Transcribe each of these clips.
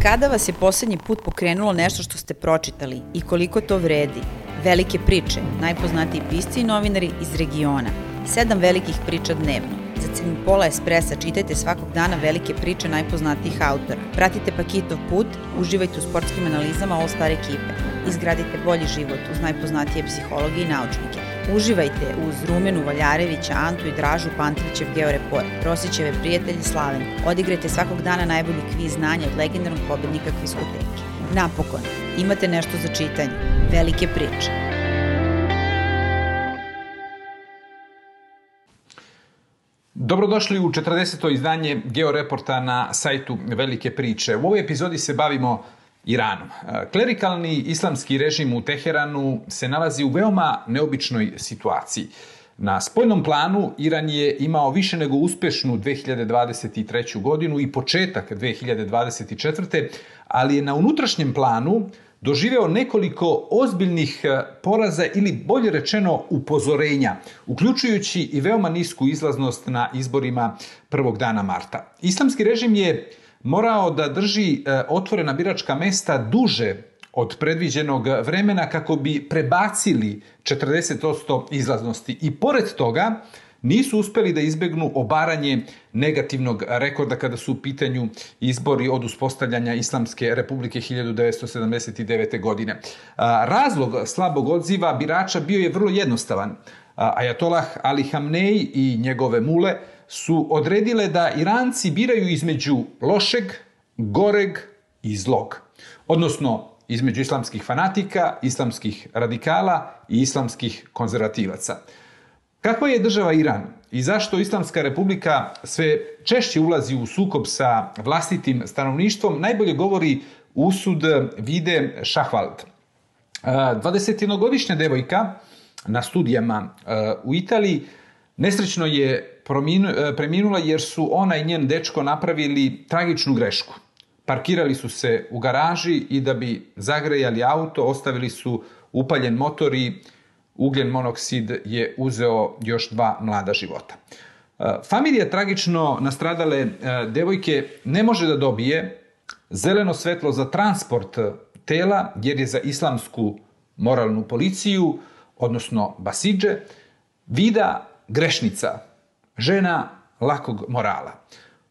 Kada vas je poslednji put pokrenulo nešto što ste pročitali i koliko to vredi? Velike priče, najpoznatiji pisci i novinari iz regiona. 7 velikih priča dnevno. Za cenu pola espresa čitajte svakog dana velike priče najpoznatijih autora. Pratite Pakitov put, uživajte u sportskim analizama All Star ekipe. Izgradite bolji život uz najpoznatije psihologe i naučnike. Uživajte uz Rumenu Valjarevića, Antu i Dražu Pantrićev Georeport, Rosićeve prijatelje Slavenku. Odigrajte svakog dana najbolji kviz znanja od legendarnog pobednika Kviskoteke. Napokon, imate nešto za čitanje. Velike priče. Dobrodošli u 40. izdanje Georeporta na sajtu Velike priče. U ovoj epizodi se bavimo Iranom. Klerikalni islamski režim u Teheranu se nalazi u veoma neobičnoj situaciji. Na spoljnom planu Iran je imao više nego uspešnu 2023. godinu i početak 2024. ali je na unutrašnjem planu doživeo nekoliko ozbiljnih poraza ili bolje rečeno upozorenja, uključujući i veoma nisku izlaznost na izborima prvog dana marta. Islamski režim je morao da drži otvorena biračka mesta duže od predviđenog vremena kako bi prebacili 40% izlaznosti i pored toga nisu uspeli da izbegnu obaranje negativnog rekorda kada su u pitanju izbori od uspostavljanja Islamske republike 1979. godine. Razlog slabog odziva birača bio je vrlo jednostavan. Ajatolah Ali Hamnej i njegove mule su odredile da Iranci biraju između lošeg, goreg i zlog. Odnosno, između islamskih fanatika, islamskih radikala i islamskih konzervativaca. Kakva je država Iran i zašto Islamska republika sve češće ulazi u sukob sa vlastitim stanovništvom najbolje govori usud Vide Šahvald. 21-godišnja devojka na studijama u Italiji nesrećno je preminula jer su ona i njen dečko napravili tragičnu grešku. Parkirali su se u garaži i da bi zagrejali auto ostavili su upaljen motor i ugljen monoksid je uzeo još 2 mlada života. Familija tragično nastradale devojke ne može da dobije zeleno svetlo za transport tela jer je za islamsku moralnu policiju, odnosno basidže, Vida grešnica, žena lakog morala.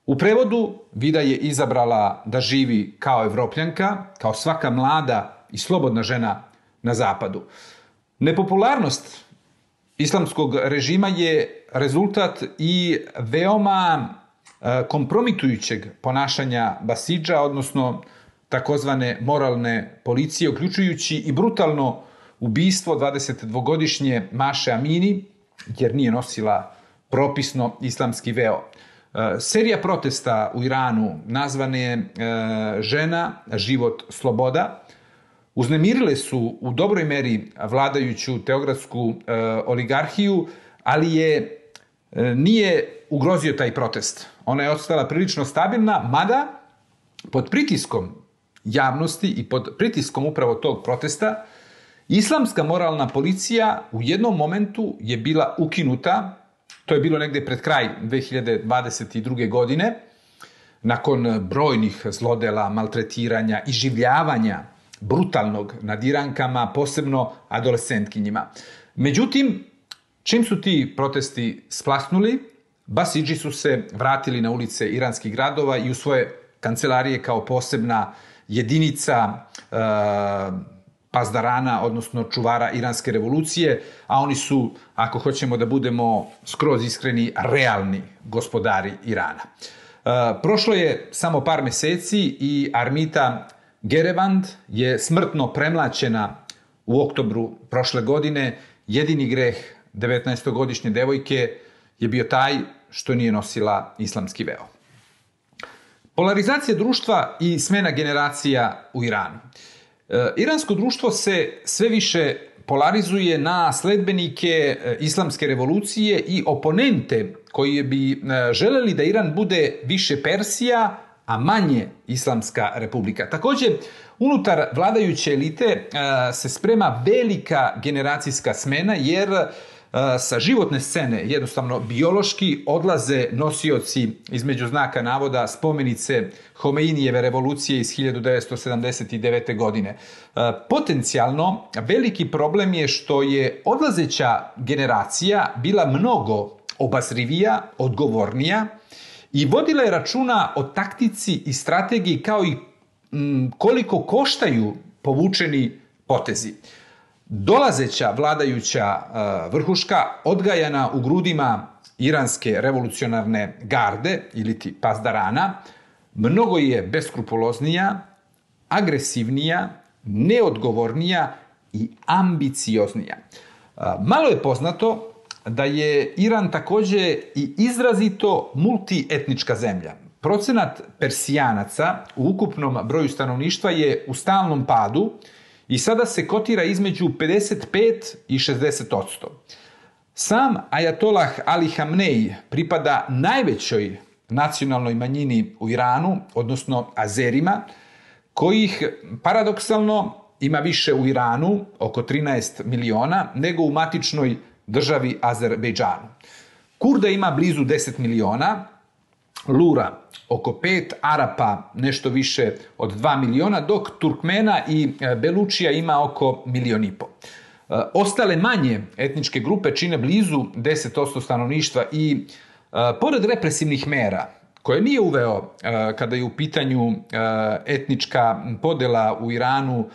U prevodu, Vida je izabrala da živi kao Evropljanka, kao svaka mlada i slobodna žena na zapadu. Nepopularnost islamskog režima je rezultat i veoma kompromitujućeg ponašanja basidža, odnosno takozvane moralne policije, uključujući i brutalno ubistvo 22-godišnje Maše Amini, jer nije nosila propisno islamski veo. Serija protesta u Iranu nazvane Žena, život, sloboda uznemirile su u dobroj meri vladajuću teokratsku oligarhiju, ali nije ugrozio taj protest. Ona je ostala prilično stabilna, mada pod pritiskom javnosti i pod pritiskom upravo tog protesta islamska moralna policija u jednom momentu je bila ukinuta. To je bilo negde pred kraj 2022. godine, nakon brojnih zlodela, maltretiranja, iživljavanja brutalnog nad Irankama, posebno adolescentkinjima. Međutim, čim su ti protesti splasnuli, basidži su se vratili na ulice iranskih gradova i u svoje kancelarije kao posebna jedinica pazdarana, odnosno čuvara iranske revolucije, a oni su, ako hoćemo da budemo skroz iskreni, realni gospodari Irana. Prošlo je samo par meseci i Armita Gerevand je smrtno premlaćena u oktobru prošle godine. Jedini greh 19-godišnje devojke je bio taj što nije nosila islamski veo. Polarizacija društva i smena generacija u Iranu. Iransko društvo se sve više polarizuje na sledbenike islamske revolucije i oponente koji bi želeli da Iran bude više Persija, a manje Islamska republika. Također, unutar vladajuće elite se sprema velika generacijska smena jer sa životne scene, jednostavno biološki, odlaze nosioci, između znaka navoda, spomenice Homeinijeve revolucije iz 1979. godine. Potencijalno, veliki problem je što je odlazeća generacija bila mnogo obazrivija, odgovornija i vodila je računa o taktici i strategiji kao i koliko koštaju povučeni potezi. Dolazeća vladajuća vrhuška, odgajana u grudima iranske revolucionarne garde ili ti Pasdarana, mnogo je beskrupuloznija, agresivnija, neodgovornija i ambicioznija. Malo je poznato da je Iran takođe i izrazito multietnička zemlja. Procenat Persijanaca u ukupnom broju stanovništva je u stalnom padu i sada se kotira između 55 i 60%. Sam ajatolah Ali Hamnej pripada najvećoj nacionalnoj manjini u Iranu, odnosno Azerima, kojih paradoksalno ima više u Iranu, oko 13 miliona, nego u matičnoj državi Azerbejdžanu. Kurda ima blizu 10 miliona, Lura oko 5, Arapa nešto više od 2 miliona, dok Turkmena i Belučija ima oko 1,5 miliona. Ostale manje etničke grupe čine blizu 10% stanovništva i pored represivnih mera, koje nije uveo kada je u pitanju etnička podela u Iranu,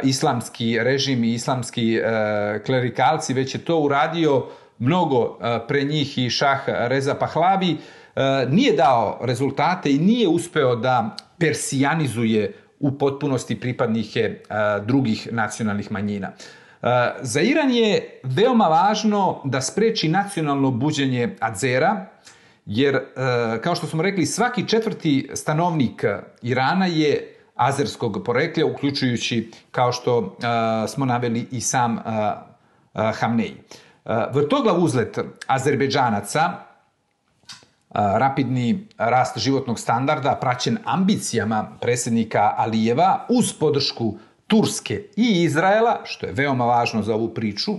islamski režim i islamski klerikalci, već je to uradio mnogo pre njih i šah Reza Pahlavi, nije dao rezultate i nije uspeo da persijanizuje u potpunosti pripadnike drugih nacionalnih manjina. Za Iran je veoma važno da spreči nacionalno buđenje Azera, jer, kao što smo rekli, svaki četvrti stanovnik Irana je azerskog porekla, uključujući, kao što smo naveli, i sam Hamnej. Vrtoglav uzlet Azerbejdžanaca, rapidni rast životnog standarda praćen ambicijama predsjednika Alijeva uz podršku Turske i Izraela, što je veoma važno za ovu priču,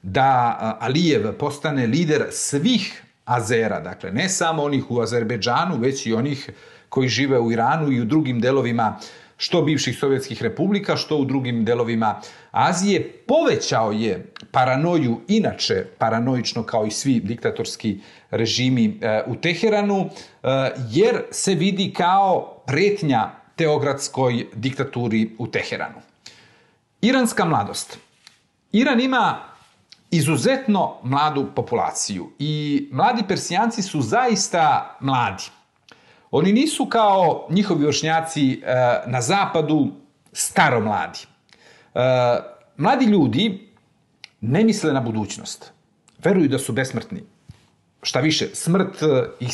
da Alijev postane lider svih Azera, dakle ne samo onih u Azerbejdžanu, već i onih koji žive u Iranu i u drugim delovima što bivših sovjetskih republika, što u drugim delovima Azije. Povećao je paranoju, inače paranoično kao i svi diktatorski režimi u Teheranu, jer se vidi kao pretnja teokratskoj diktaturi u Teheranu. Iranska mladost. Iran ima izuzetno mladu populaciju i mladi Persijanci su zaista mladi. Oni nisu kao njihovi vršnjaci na zapadu staromladi. Mladi ljudi ne misle na budućnost. Veruju da su besmrtni. Šta više, smrt ih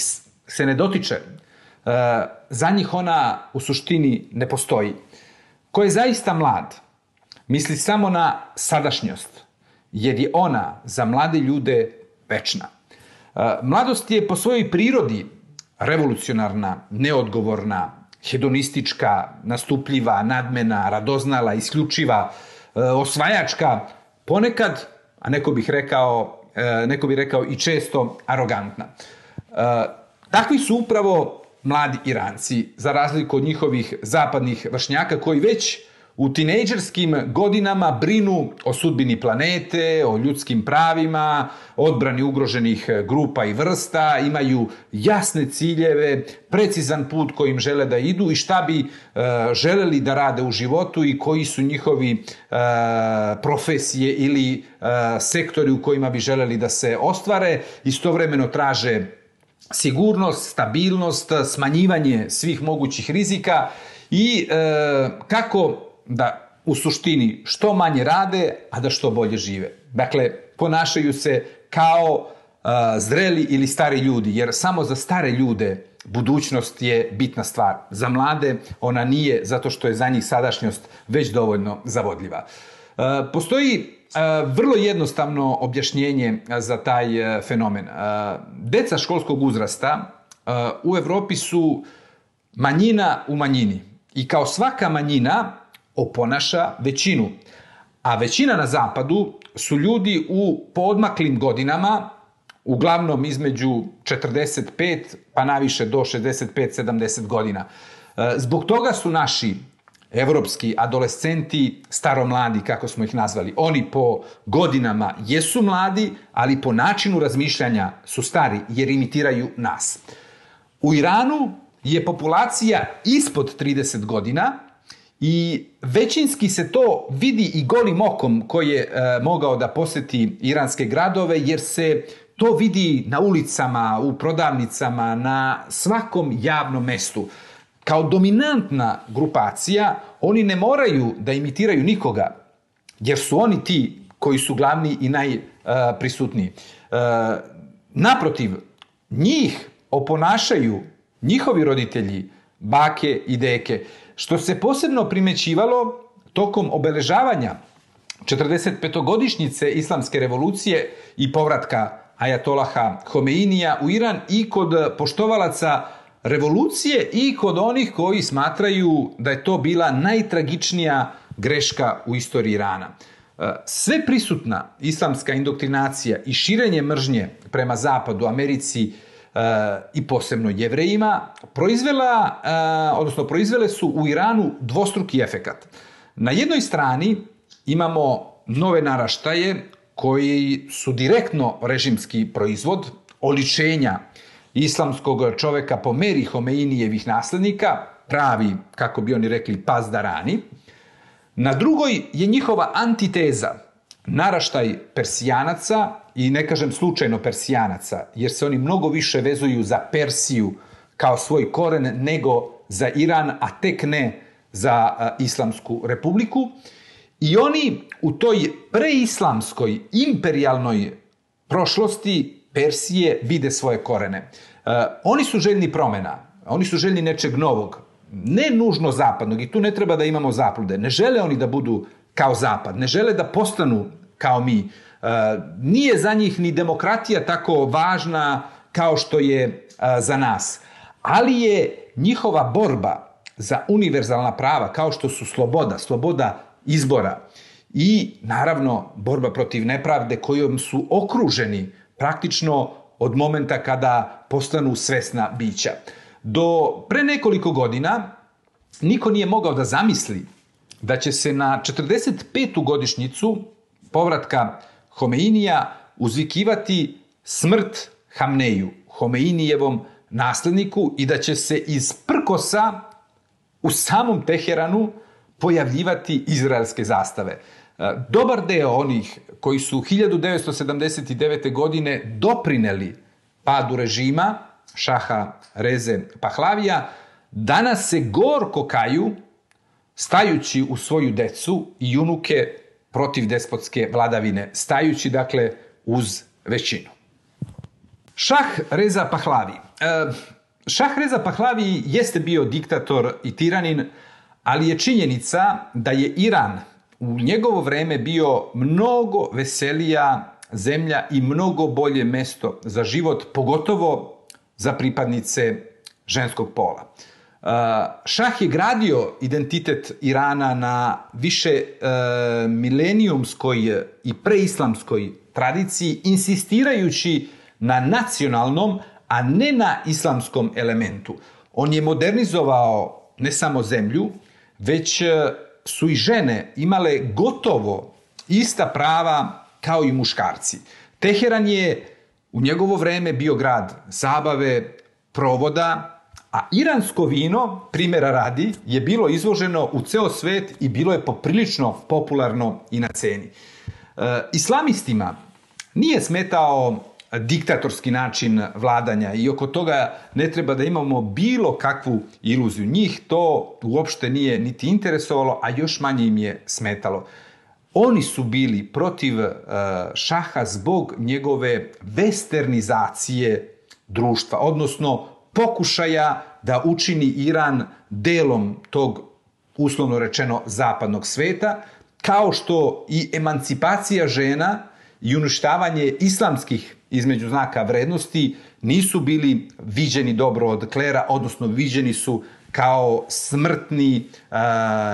se ne dotiče. Za njih ona u suštini ne postoji. Ko je zaista mlad, misli samo na sadašnjost, jer je ona za mlade ljude večna. Mladost je po svojoj prirodi revolucionarna, neodgovorna, hedonistička, nastupljiva, nadmena, radoznala, isključiva, osvajačka, ponekad, a neko bi rekao i često arogantna. Takvi su upravo mladi Iranci, za razliku od njihovih zapadnih vršnjaka koji već u tinejdžerskim godinama brinu o sudbini planete, o ljudskim pravima, odbrani ugroženih grupa i vrsta, imaju jasne ciljeve, precizan put kojim žele da idu i šta bi želeli da rade u životu i koji su njihovi profesije ili sektori u kojima bi želeli da se ostvare. Istovremeno traže sigurnost, stabilnost, smanjivanje svih mogućih rizika i kako da u suštini što manje rade, a da što bolje žive. Dakle, ponašaju se kao zreli ili stari ljudi, jer samo za stare ljude budućnost je bitna stvar. Za mlade ona nije, zato što je za njih sadašnjost već dovoljno zavodljiva. Postoji vrlo jednostavno objašnjenje za taj fenomen. Deca školskog uzrasta u Evropi su manjina u manjini i kao svaka manjina oponaša većinu. A većina na zapadu su ljudi u poodmaklim godinama, uglavnom između 45 pa naviše do 65-70 godina. Zbog toga su naši evropski adolescenti staromladi, kako smo ih nazvali. Oni po godinama jesu mladi, ali po načinu razmišljanja su stari jer imitiraju nas. U Iranu je populacija ispod 30 godina i većinski se to vidi i golim okom ko je mogao da poseti iranske gradove, jer se to vidi na ulicama, u prodavnicama, na svakom javnom mestu. Kao dominantna grupacija, oni ne moraju da imitiraju nikoga, jer su oni ti koji su glavni i najprisutniji. Naprotiv, njih oponašaju njihovi roditelji, bake i deke, što se posebno primećivalo tokom obeležavanja 45-godišnjice Islamske revolucije i povratka ajatolaha Homeinija u Iran i kod poštovalaca revolucije i kod onih koji smatraju da je to bila najtragičnija greška u istoriji Irana. Sve prisutna islamska indoktrinacija i širenje mržnje prema Zapadu, Americi i posebno Jevrejima proizvele su u Iranu dvostruki efekat. Na jednoj strani imamo nove naraštaje koji su direktno režimski proizvod, oličenja islamskog čoveka po meri Homeinijevih naslednika, pravi, kako bi oni rekli, pazdarani. Na drugoj je njihova antiteza, naraštaj Persijanaca, i ne kažem slučajno Persijanaca, jer se oni mnogo više vezuju za Persiju kao svoj koren nego za Iran, a tek ne za Islamsku republiku. I oni u toj preislamskoj, imperijalnoj prošlosti Persije vide svoje korene. Oni su željni promjena, oni su željni nečeg novog, ne nužno zapadnog, i tu ne treba da imamo zablude. Ne žele oni da budu kao zapad, ne žele da postanu kao mi. Nije za njih ni demokratija tako važna kao što je za nas, ali je njihova borba za univerzalna prava, kao što su sloboda izbora i naravno borba protiv nepravde kojom su okruženi praktično od momenta kada postanu svesna bića. Do pre nekoliko godina niko nije mogao da zamisli da će se na 45. godišnjicu povratka Homeinija uzvikivati smrt Hamneju, Homeinijevom nasledniku, i da će se iz prkosa u samom Teheranu pojavljivati izraelske zastave. Dobar deo onih koji su 1979. godine doprineli padu režima šaha Reze Pahlavija, danas se gorko kaju stajući u svoju decu i unuke protiv despotske vladavine, stajući dakle uz većinu. Šah Reza Pahlavi. Šah Reza Pahlavi jeste bio diktator i tiranin, ali je činjenica da je Iran u njegovo vreme bio mnogo veselija zemlja i mnogo bolje mesto za život, pogotovo za pripadnice ženskog pola. Šah je gradio identitet Irana na više milenijumskoj i preislamskoj tradiciji, insistirajući na nacionalnom, a ne na islamskom elementu. On je modernizovao ne samo zemlju, već su i žene imale gotovo ista prava kao i muškarci. Teheran je u njegovo vreme bio grad zabave, provoda, a iransko vino, primjera radi, je bilo izvoženo u ceo svet i bilo je poprilično popularno i na ceni. Islamistima nije smetao diktatorski način vladanja i oko toga ne treba da imamo bilo kakvu iluziju. Njih to uopšte nije niti interesovalo, a još manje im je smetalo. Oni su bili protiv šaha zbog njegove westernizacije društva, odnosno pokušaja da učini Iran delom tog, uslovno rečeno, zapadnog sveta, kao što i emancipacija žena i uništavanje islamskih, između znaka, vrednosti nisu bili viđeni dobro od klera, odnosno viđeni su kao smrtni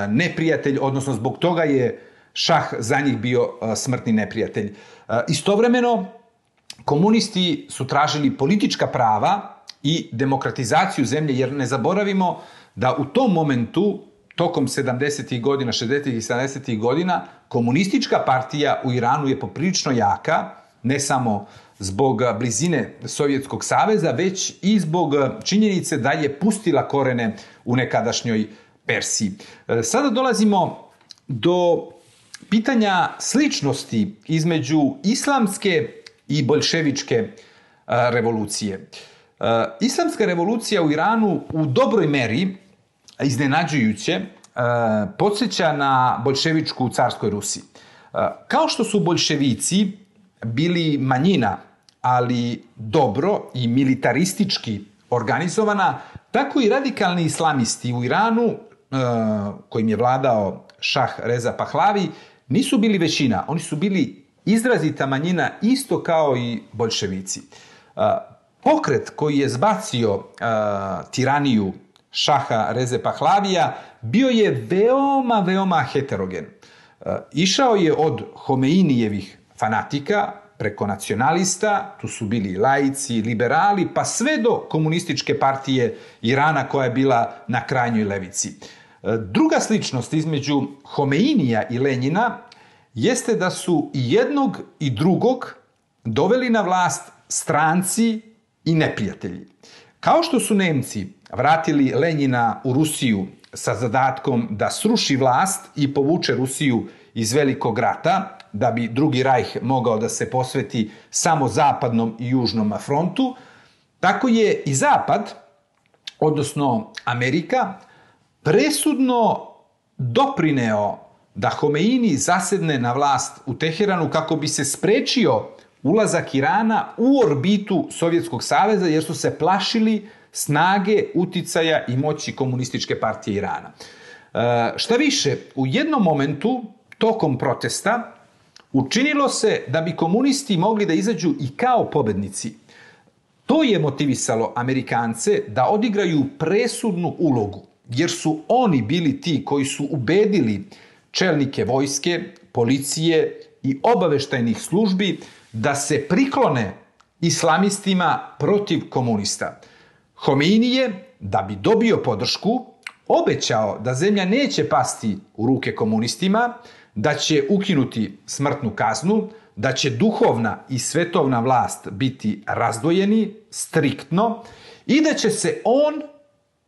neprijatelj, odnosno zbog toga je šah za njih bio smrtni neprijatelj. Istovremeno, komunisti su tražili politička prava i demokratizaciju zemlje, jer ne zaboravimo da u tom momentu, tokom 70. godina, 60. i 70. godina, komunistička partija u Iranu je poprilično jaka, ne samo zbog blizine Sovjetskog saveza, već i zbog činjenice da je pustila korene u nekadašnjoj Persiji. Sada dolazimo do pitanja sličnosti između islamske i boljševičke revolucije. Islamska revolucija u Iranu u dobroj meri, iznenađujuće, podsjeća na boljševičku u carskoj Rusiji. Kao što su boljševici bili manjina, ali dobro i militaristički organizovana, tako i radikalni islamisti u Iranu, kojim je vladao šah Reza Pahlavi, nisu bili većina. Oni su bili izrazita manjina, isto kao i boljševici. Pokret koji je zbacio tiraniju šaha Reze Pahlavija bio je veoma heterogen. Išao je od Homeinijevih fanatika preko nacionalista, tu su bili laici, liberali, pa sve do komunističke partije Irana koja je bila na krajnjoj levici. Druga sličnost između Homeinija i Lenjina jeste da su i jednog i drugog doveli na vlast stranci i neprijatelji. Kao što su Nemci vratili Lenjina u Rusiju sa zadatkom da sruši vlast i povuče Rusiju iz Velikog rata, da bi Drugi rajh mogao da se posveti samo zapadnom i južnom frontu, tako je i Zapad, odnosno Amerika, presudno doprineo da Homeini zasedne na vlast u Teheranu kako bi se sprečio ulazak Irana u orbitu Sovjetskog saveza, jer su se plašili snage, uticaja i moći komunističke partije Irana. Šta više, u jednom momentu, tokom protesta, učinilo se da bi komunisti mogli da izađu i kao pobednici. To je motivisalo Amerikance da odigraju presudnu ulogu, jer su oni bili ti koji su ubedili čelnike vojske, policije i obaveštajnih službi da se priklone islamistima protiv komunista. Homeini je, da bi dobio podršku, obećao da zemlja neće pasti u ruke komunistima, da će ukinuti smrtnu kaznu, da će duhovna i svetovna vlast biti razdvojeni striktno i da će se on,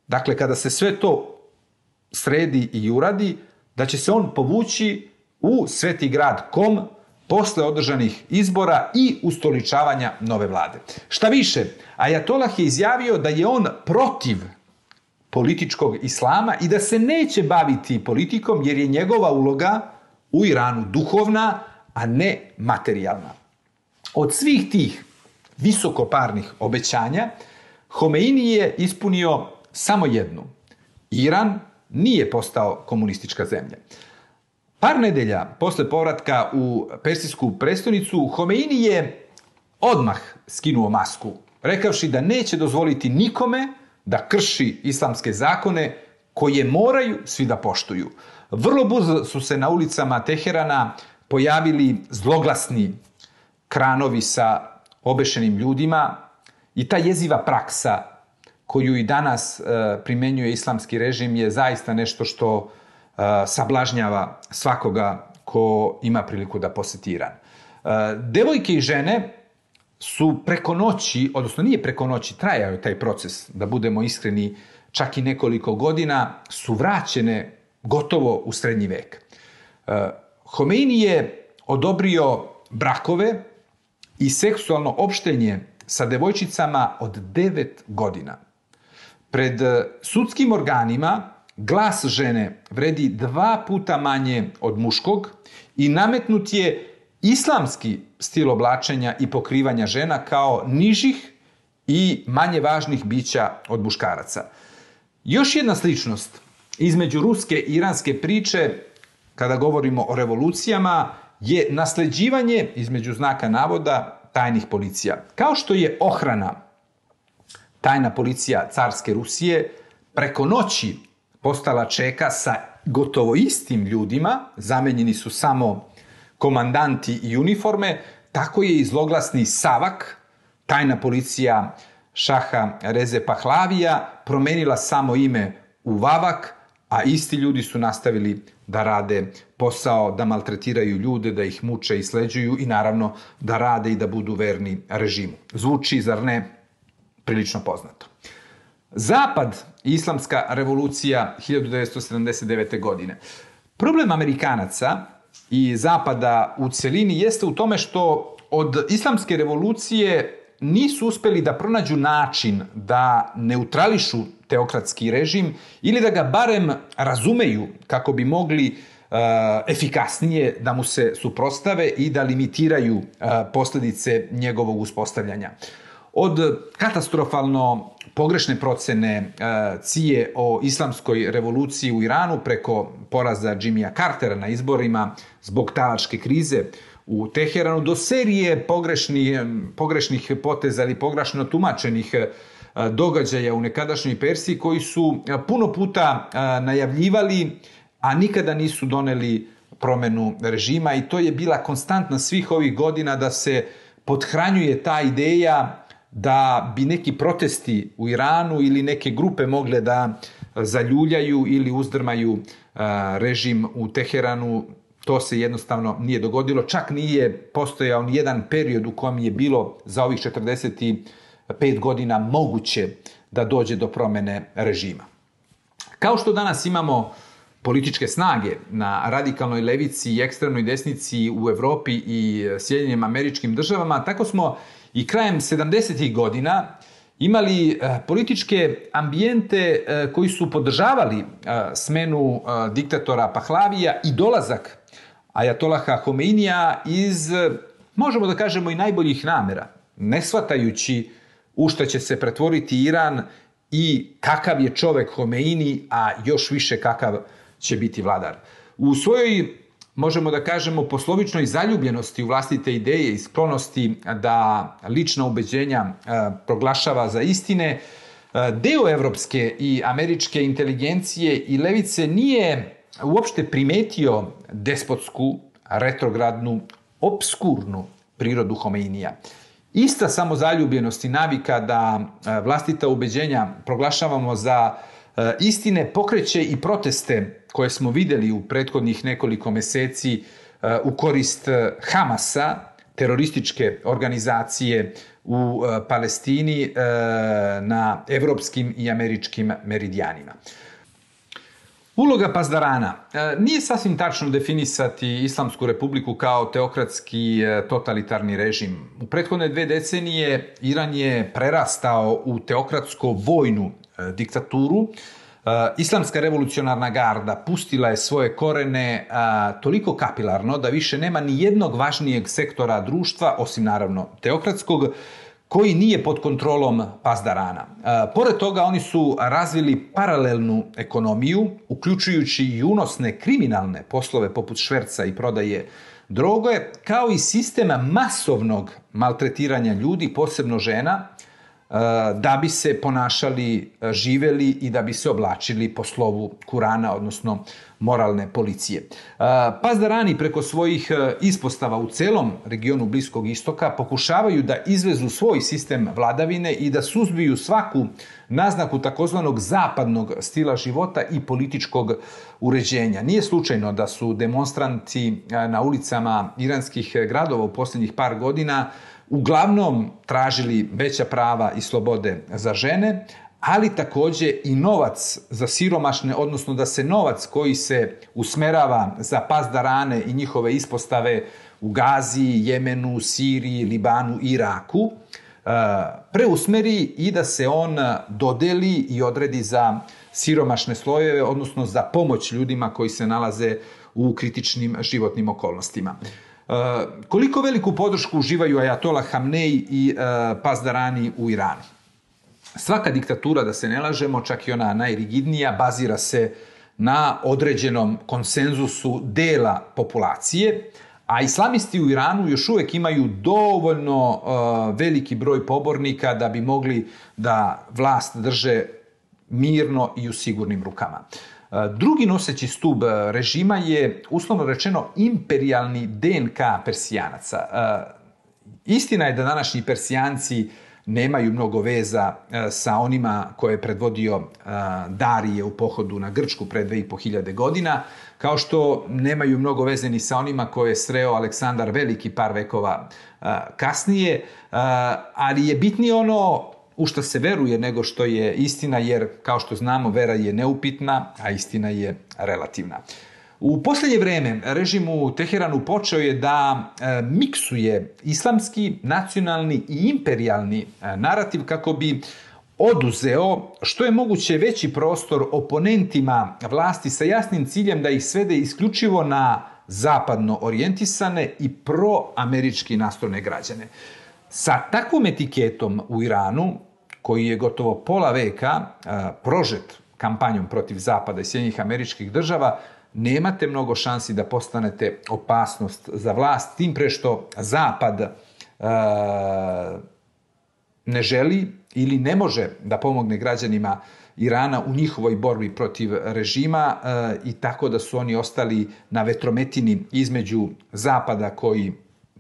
dakle kada se sve to sredi i uradi, da će se on povući u Sveti grad Kom posle održanih izbora i ustoličavanja nove vlade. Šta više, ajatolah je izjavio da je on protiv političkog islama i da se neće baviti politikom jer je njegova uloga u Iranu duhovna, a ne materijalna. Od svih tih visokoparnih obećanja Homeini je ispunio samo jednu. Iran nije postao komunistička zemlja. Par nedelja posle povratka u persijsku prestonicu, Homeini je odmah skinuo masku, rekavši da neće dozvoliti nikome da krši islamske zakone koje moraju svi da poštuju. Vrlo brzo su se na ulicama Teherana pojavili zloglasni kranovi sa obešenim ljudima i ta jeziva praksa koju i danas primenjuje islamski režim je zaista nešto što sablažnjava svakoga ko ima priliku da poseti Iran. Devojke i žene su preko noći, odnosno nije preko noći, trajao je taj proces, da budemo iskreni, čak i nekoliko godina, su vraćene gotovo u srednji vek. Homeini je odobrio brakove i seksualno opštenje sa devojčicama od 9 godina. Pred sudskim organima glas žene vredi 2 puta manje od muškog i nametnut je islamski stil oblačenja i pokrivanja žena kao nižih i manje važnih bića od muškaraca. Još jedna sličnost između ruske i iranske priče, kada govorimo o revolucijama, je nasleđivanje, između znaka navoda, tajnih policija. Kao što je ohrana, tajna policija carske Rusije, preko noći postala čeka sa gotovo istim ljudima, zamenjeni su samo komandanti i uniforme, tako je i zloglasni Savak, tajna policija šaha Reze Pahlavija, promenila samo ime u Vavak, a isti ljudi su nastavili da rade posao, da maltretiraju ljude, da ih muče i sleđuju i naravno da rade i da budu verni režimu. Zvuči, zar ne, prilično poznato. Zapad i islamska revolucija 1979. godine. Problem Amerikanaca i Zapada u celini jeste u tome što od islamske revolucije nisu uspeli da pronađu način da neutrališu teokratski režim ili da ga barem razumeju kako bi mogli efikasnije da mu se suprotstave i da limitiraju posledice njegovog uspostavljanja. Od katastrofalno pogrešne procene CIA o islamskoj revoluciji u Iranu preko poraza Jimmya Cartera na izborima zbog talačke krize u Teheranu do serije pogrešnih poteza ili pogrešno tumačenih događaja u nekadašnjoj Persiji koji su puno puta najavljivali, a nikada nisu doneli promenu režima i to je bila konstantna svih ovih godina da se pothranjuje ta ideja da bi neki protesti u Iranu ili neke grupe mogle da zaljuljaju ili uzdrmaju režim u Teheranu. To se jednostavno nije dogodilo. Čak nije postojao ni jedan period u kojem je bilo za ovih 45 godina moguće da dođe do promene režima. Kao što danas imamo političke snage na radikalnoj levici i ekstremnoj desnici u Evropi i Sjedinjenim Američkim Državama, tako smo i krajem 70. godina imali političke ambijente koji su podržavali smenu diktatora Pahlavija i dolazak ajatolaha Homeinija iz, možemo da kažemo, i najboljih namera, ne shvatajući u šta će se pretvoriti Iran i kakav je čovek Homeini, a još više kakav će biti vladar. U svojoj, možemo da kažemo, poslovičnoj zaljubljenosti u vlastite ideje i sklonosti da lična ubeđenja proglašava za istine, deo evropske i američke inteligencije i levice nije uopšte primetio despotsku, retrogradnu, obskurnu prirodu Homeinija. Ista samozaljubljenost i navika da vlastita ubeđenja proglašavamo za istine pokreće i proteste koje smo videli u prethodnih nekoliko meseci u korist Hamasa, terorističke organizacije u Palestini na evropskim i američkim meridijanima. Uloga pazdarana. Nije sasvim tačno definisati Islamsku republiku kao teokratski totalitarni režim. U prethodne 2 decenije Iran je prerastao u teokratsko-vojnu diktaturu. Islamska revolucionarna garda pustila je svoje korene toliko kapilarno da više nema ni jednog važnijeg sektora društva, osim naravno teokratskog, koji nije pod kontrolom pazdarana. Pored toga, oni su razvili paralelnu ekonomiju, uključujući i unosne kriminalne poslove poput šverca i prodaje droge, kao i sistem masovnog maltretiranja ljudi, posebno žena, da bi se ponašali, živeli i da bi se oblačili po slovu Kurana, odnosno moralne policije. Pazdarani preko svojih ispostava u celom regionu Bliskog istoka pokušavaju da izvezu svoj sistem vladavine i da suzbiju svaku naznaku takozvanog zapadnog stila života i političkog uređenja. Nije slučajno da su demonstranti na ulicama iranskih gradova u posljednjih par godina uglavnom tražili veća prava i slobode za žene, ali takođe i novac za siromašne, odnosno da se novac koji se usmerava za pazdarane i njihove ispostave u Gaziji, Jemenu, Siriji, Libanu i Iraku preusmeri i da se on dodeli i odredi za siromašne slojeve, odnosno za pomoć ljudima koji se nalaze u kritičnim životnim okolnostima. Koliko veliku podršku uživaju ajatolah Hamnej i pazdarani u Iranu? Svaka diktatura, da se ne lažemo, čak i ona najrigidnija, bazira se na određenom konsenzusu dela populacije, a islamisti u Iranu još uvek imaju dovoljno veliki broj pobornika da bi mogli da vlast drže mirno i u sigurnim rukama. Drugi noseći stub režima je, uslovno rečeno, imperijalni DNK Persijanaca. Istina je da današnji Persijanci nemaju mnogo veza sa onima koje je predvodio Darije u pohodu na Grčku pre 2500 godina, kao što nemaju mnogo veze ni sa onima koje je sreo Aleksandar Veliki par vekova kasnije, ali je bitnije ono u što se veruje nego što je istina, jer kao što znamo vera je neupitna, a istina je relativna. U posljednje vreme režim u Teheranu počeo je da miksuje islamski, nacionalni i imperijalni narativ kako bi oduzeo što je moguće veći prostor oponentima vlasti sa jasnim ciljem da ih svede isključivo na zapadno orijentisane i proamerički nastrojene građane. Sa takvom etiketom u Iranu, koji je gotovo pola veka prožet kampanjom protiv Zapada i Sjedinjenih Američkih Država, nemate mnogo šansi da postanete opasnost za vlast, tim pre što Zapad ne želi ili ne može da pomogne građanima Irana u njihovoj borbi protiv režima i tako da su oni ostali na vetrometini između Zapada koji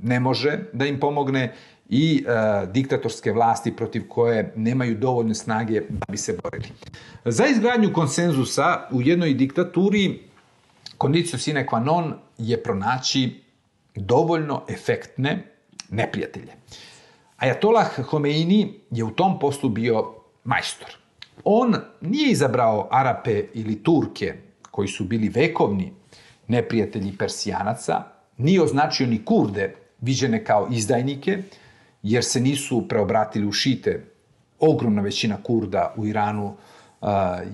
ne može da im pomogne i diktatorske vlasti protiv koje nemaju dovoljne snage da bi se borili. Za izgradnju konsenzusa u jednoj diktaturi condicio sine qua non je pronaći dovoljno efektne neprijatelje. Ajatolah Homeini je u tom poslu bio majstor. On nije izabrao Arape ili Turke, koji su bili vekovni neprijatelji Persijanaca, nije označio ni Kurde, viđene kao izdajnike, jer se nisu preobratili u šite. Ogromna većina Kurda u Iranu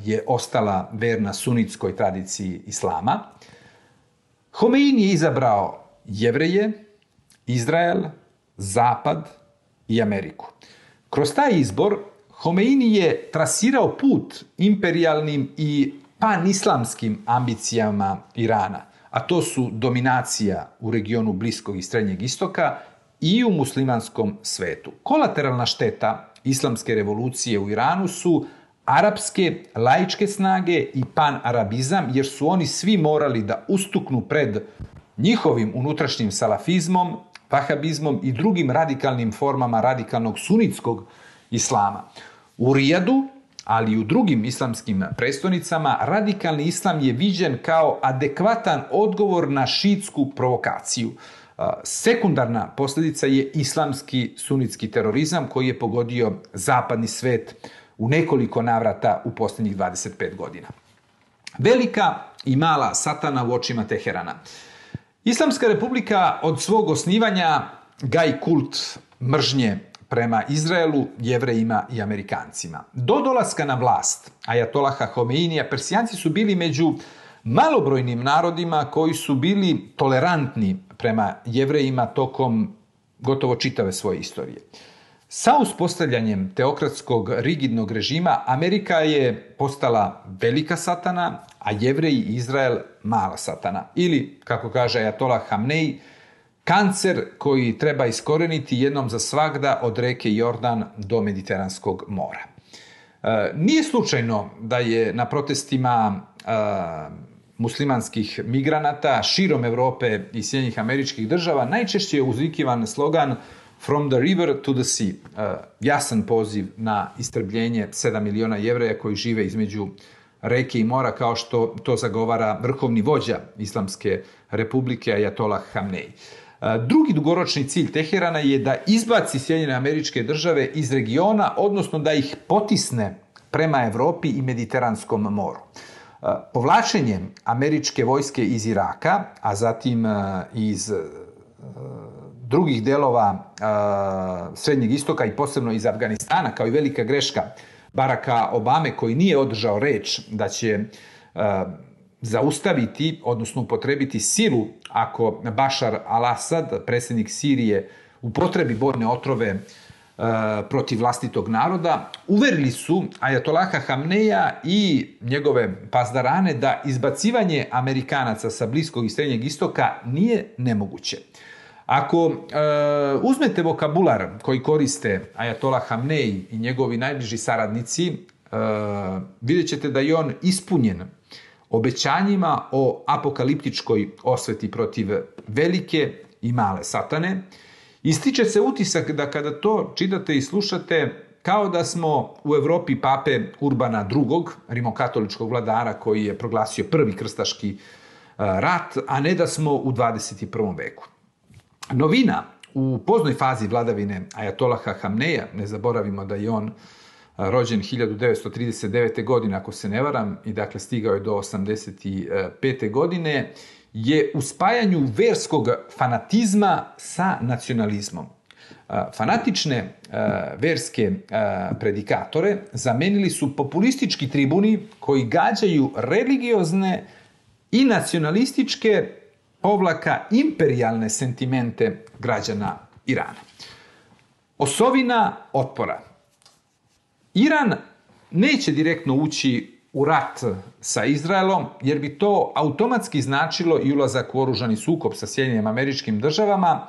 je ostala verna sunitskoj tradiciji islama. Homeini je izabrao Jevreje, Izrael, Zapad i Ameriku. Kroz taj izbor Homeini je trasirao put imperijalnim i panislamskim ambicijama Irana, a to su dominacija u regionu Bliskog i Srednjeg istoka i u muslimanskom svetu. Kolateralna šteta islamske revolucije u Iranu su arapske laičke snage i panarabizam, jer su oni svi morali da ustuknu pred njihovim unutrašnjim salafizmom, vahabizmom i drugim radikalnim formama radikalnog sunitskog islama. U Rijadu, ali i u drugim islamskim prestonicama, radikalni islam je viđen kao adekvatan odgovor na šiitsku provokaciju. Sekundarna posljedica je islamski sunitski terorizam koji je pogodio zapadni svet u nekoliko navrata u posljednjih 25 godina. Velika i mala satana u očima Teherana. Islamska republika od svog osnivanja gaji kult mržnje prema Izraelu, Jevrejima i Amerikancima. Do dolaska na vlast Ajatolaha Homeinija, Persijanci su bili među malobrojnim narodima koji su bili tolerantni prema Jevrejima tokom gotovo čitave svoje istorije. Sa uspostavljanjem teokratskog rigidnog režima Amerika je postala velika satana, a Jevreji i Izrael mala satana. Ili, kako kaže Ajatolah Hamnej, kancer koji treba iskoreniti jednom za svagda od reke Jordan do Mediteranskog mora. Nije slučajno da je na protestima muslimanskih migranata širom Evrope i Sjedinjenih Američkih Država najčešće uzvikivan slogan From the river to the sea, jasan poziv na istrebljenje 7 miliona Jevreja koji žive između reke i mora, kao što to zagovara vrhovni vođa Islamske republike Ajatolah Hamnej. Drugi dugoročni cilj Teherana je da izbaci Sjedinjene Američke Države iz regiona, odnosno da ih potisne prema Evropi i Mediteranskom moru. Povlačenjem američke vojske iz Iraka, a zatim iz drugih delova Srednjeg istoka i posebno iz Afganistana, kao i velika greška Baracka Obame, koji nije održao reč da će zaustaviti, odnosno upotrebiti silu ako Bashar al-Assad, predsjednik Sirije, upotrebi bojne otrove protiv vlastitog naroda, uverili su Ajatolaha Hamneja i njegove pazdarane da izbacivanje Amerikanaca sa Bliskog i Srednjeg istoka nije nemoguće. Ako uzmete vokabular koji koriste Ajatolah Hamnej i njegovi najbliži saradnici, vidjet ćete da je on ispunjen obećanjima o apokaliptičkoj osveti protiv velike i male satane. Ističe se utisak da kada to čitate i slušate, kao da smo u Evropi pape Urbana II, rimokatoličkog vladara koji je proglasio prvi krstaški rat, a ne da smo u 21. veku. Novina u poznoj fazi vladavine ajatolaha Hamneja, ne zaboravimo da je on rođen 1939. godine, ako se ne varam, i dakle stigao je do 85. godine, je u spajanju verskog fanatizma sa nacionalizmom. Fanatične verske predikatore zamenili su populistički tribuni koji gađaju religiozne i nacionalističke imperijalne sentimente građana Irana. Osovina otpora. Iran neće direktno ući u rat sa Izraelom, jer bi to automatski značilo i ulazak u oružani sukob sa Sjedinjenim Američkim Državama,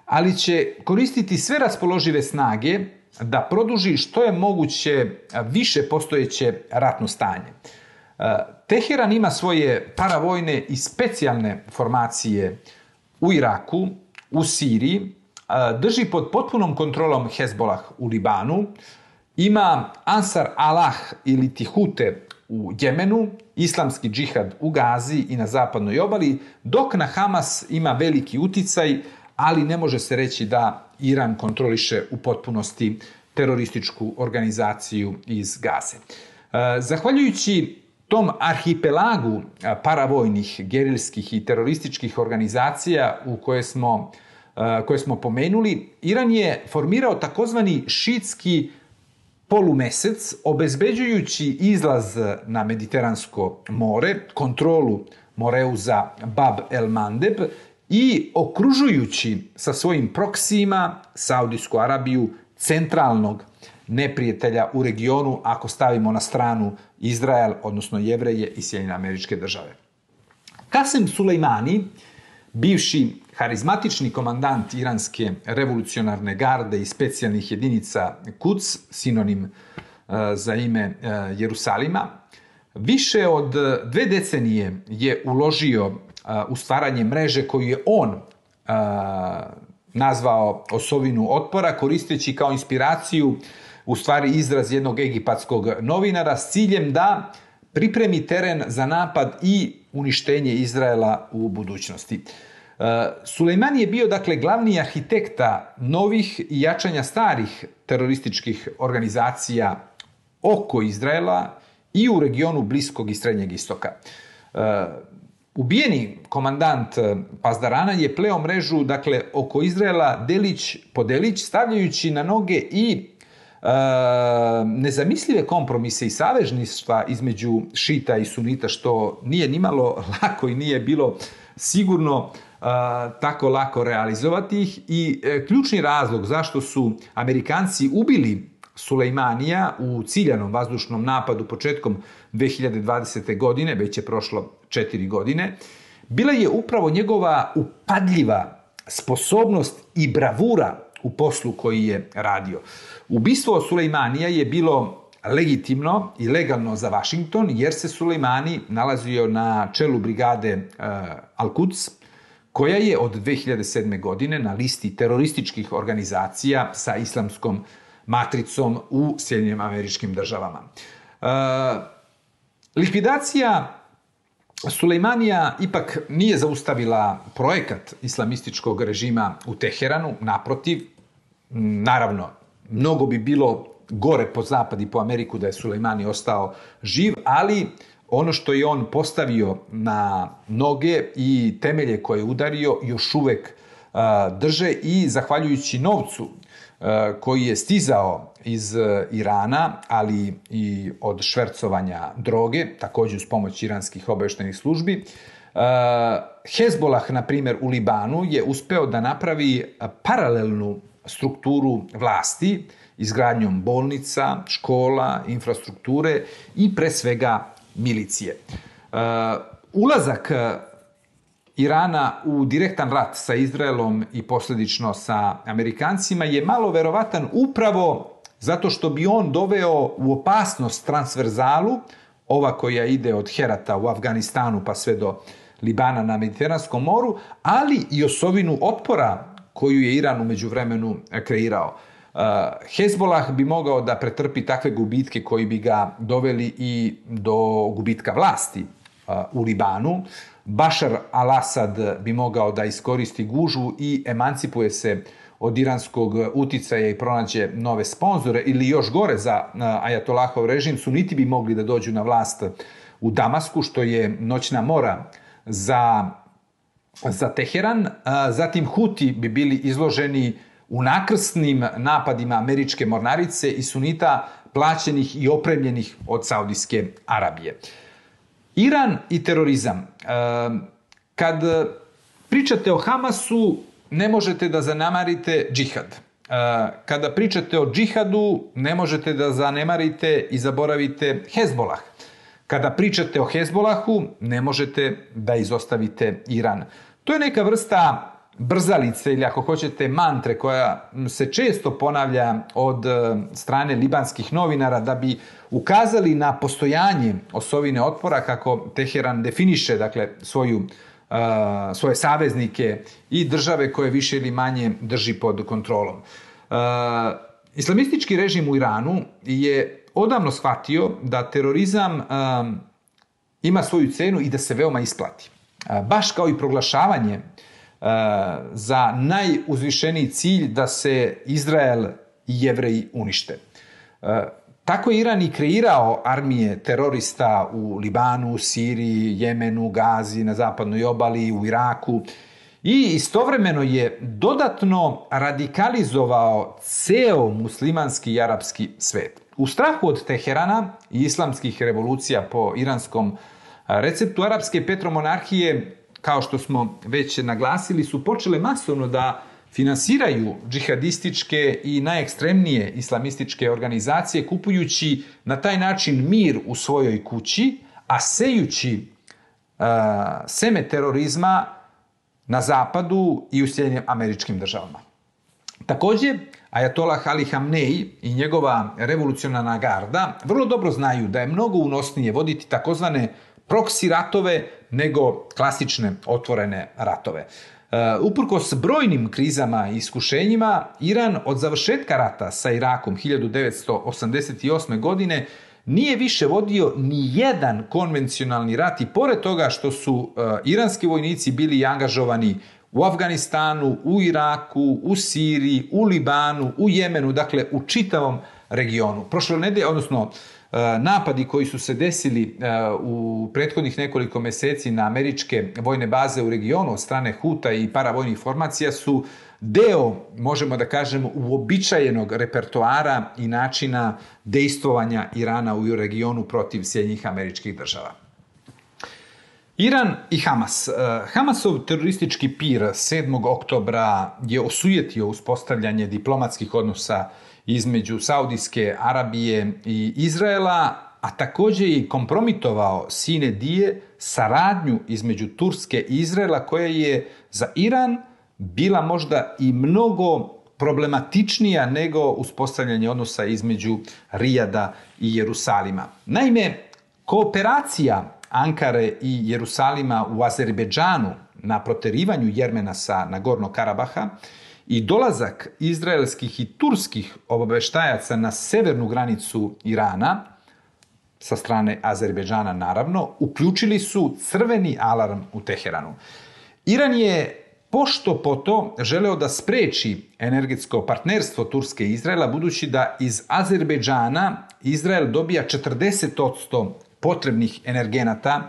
ali će koristiti sve raspoložive snage da produži što je moguće više postojeće ratno stanje. Teheran ima svoje paravojne i specijalne formacije u Iraku, u Siriji, drži pod potpunom kontrolom Hezbolah u Libanu, ima Ansar Allah ili Tihute u Jemenu, islamski džihad u Gazi i na zapadnoj obali, dok na Hamas ima veliki uticaj, ali ne može se reći da Iran kontroliše u potpunosti terorističku organizaciju iz Gaze. Zahvaljujući tom arhipelagu paravojnih, gerilskih i terorističkih organizacija koje smo pomenuli, Iran je formirao takozvani šiitski polumesec, obezbeđujući izlaz na Mediteransko more, kontrolu Moreuza Bab el Mandeb i okružujući sa svojim proksijima Saudijsku Arabiju, centralnog neprijatelja u regionu, ako stavimo na stranu Izrael, odnosno Jevreje i Sjedinjene Američke Države. Kasem Sulejmani, bivši harizmatični komandant iranske revolucionarne garde i specijalnih jedinica Quds, sinonim za ime Jerusalima, više od 2 decenije je uložio u stvaranje mreže koju je on nazvao osovinu otpora, koristeći kao inspiraciju u stvari izraz jednog egipatskog novinara s ciljem da pripremi teren za napad i uništenje Izraela u budućnosti. Sulejmani je bio, dakle, glavni arhitekta novih i jačanja starih terorističkih organizacija oko Izraela i u regionu Bliskog i Srednjeg istoka. Ubijeni komandant Pazdarana je pleo mrežu, dakle, oko Izraela delić po delić, stavljajući na noge i nezamislive kompromise i savezništva između šita i sunita, što nije nimalo lako i nije bilo sigurno tako lako realizovati ih. I ključni razlog zašto su Amerikanci ubili Sulejmanija u ciljanom vazdušnom napadu početkom 2020. godine, već je prošlo 4 godine, bila je upravo njegova upadljiva sposobnost i bravura u poslu koji je radio. Ubistvo Sulejmanija je bilo legitimno i legalno za Vašington, jer se Sulejmani nalazio na čelu brigade Al-Quds, koja je od 2007. godine na listi terorističkih organizacija sa islamskom matricom u Sjedinjenim Američkim Državama. Likvidacija Sulejmanija ipak nije zaustavila projekat islamističkog režima u Teheranu, naprotiv, naravno, mnogo bi bilo gore po zapad i po Ameriku da je Sulejmani ostao živ, ali ono što je on postavio na noge i temelje koje je udario još uvek drže i zahvaljujući novcu koji je stizao iz Irana, ali i od švercovanja droge, također uz pomoć iranskih obavještajnih službi, Hezbolah, na primjer, u Libanu je uspeo da napravi paralelnu strukturu vlasti izgradnjom bolnica, škola, infrastrukture i pre svega milicije. Ulazak Irana u direktan rat sa Izraelom i posljedično sa Amerikancima je malo verovatan upravo zato što bi on doveo u opasnost transverzalu, ova koja ide od Herata u Afganistanu pa sve do Libana na Mediteranskom moru, ali i osovinu otpora koju je Iran u međuvremenu kreirao. Hezbolah bi mogao da pretrpi takve gubitke koji bi ga doveli i do gubitka vlasti u Libanu. Bašar al-Asad bi mogao da iskoristi gužvu i emancipuje se od iranskog uticaja i pronađe nove sponzore, ili još gore za ajatolahov režim, suniti bi mogli da dođu na vlast u Damasku, što je noćna mora za Teheran. Zatim Huti bi bili izloženi u nakrsnim napadima američke mornarice i sunita plaćenih i opremljenih od Saudijske Arabije. Iran i terorizam. Kad pričate o Hamasu, ne možete da zanemarite džihad. Kada pričate o džihadu, ne možete da zanemarite i zaboravite Hezbolah. Kada pričate o Hezbolahu, ne možete da izostavite Iran. To je neka vrsta brzalice ili ako hoćete mantre koja se često ponavlja od strane libanskih novinara da bi ukazali na postojanje osovine otpora kako Teheran definiše, dakle, svoje saveznike i države koje više ili manje drži pod kontrolom. Islamistički režim u Iranu je odavno shvatio da terorizam ima svoju cenu i da se veoma isplati. Baš kao i proglašavanje za najuzvišeniji cilj da se Izrael i Jevreji unište. Tako je Iran i kreirao armije terorista u Libanu, Siriji, Jemenu, Gazi, na zapadnoj obali, u Iraku i istovremeno je dodatno radikalizovao ceo muslimanski i arapski svet. U strahu od Teherana i islamskih revolucija po iranskom receptu, arapske petromonarhije, kao što smo već naglasili, su počele masovno da finansiraju džihadističke i najekstremnije islamističke organizacije, kupujući na taj način mir u svojoj kući, a sejući seme terorizma na zapadu i u Sjedinjenim Američkim Državama. Takođe, ajatolah Ali Hamnej i njegova revolucionarna garda vrlo dobro znaju da je mnogo unosnije voditi takozvane proksi ratove nego klasične otvorene ratove. Uprkos brojnim krizama i iskušenjima, Iran od završetka rata sa Irakom 1988. godine nije više vodio ni jedan konvencionalni rat i pored toga što su iranski vojnici bili angažovani u Afganistanu, u Iraku, u Siriji, u Libanu, u Jemenu, dakle u čitavom regionu. Prošle nedelje, odnosno napadi koji su se desili u prethodnih nekoliko meseci na američke vojne baze u regionu od strane Huta i paravojnih formacija su deo, možemo da kažemo, uobičajenog repertoara i načina dejstvovanja Irana u regionu protiv Sjedinjenih Američkih Država. Iran i Hamas. Hamasov teroristički pir 7. oktobra je osujetio uspostavljanje diplomatskih odnosa između Saudijske Arabije i Izraela, a takođe i kompromitovao sine die saradnju između Turske i Izraela, koja je za Iran bila možda i mnogo problematičnija nego uspostavljanje odnosa između Rijada i Jerusalima. Naime, kooperacija Ankare i Jerusalima u Azerbejdžanu na proterivanju Jermena sa Nagornog Karabaha i dolazak izraelskih i turskih obaveštajaca na severnu granicu Irana, sa strane Azerbejdžana naravno, uključili su crveni alarm u Teheranu. Iran je pošto poto želeo da spreči energetsko partnerstvo Turske i Izraela, budući da iz Azerbejdžana Izrael dobija 40% potrebnih energenata,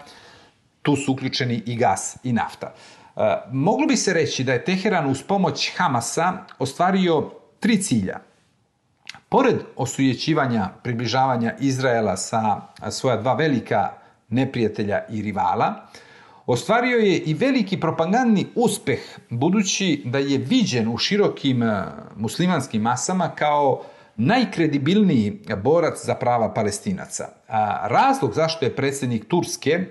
tu su uključeni i gas i nafta. Moglo bi se reći da je Teheran uz pomoć Hamasa ostvario 3 cilja. Pored osujećivanja, približavanja Izraela sa svoja 2 velika neprijatelja i rivala, ostvario je i veliki propagandni uspeh, budući da je viđen u širokim muslimanskim masama kao najkredibilniji borac za prava Palestinaca. Razlog zašto je predsjednik Turske,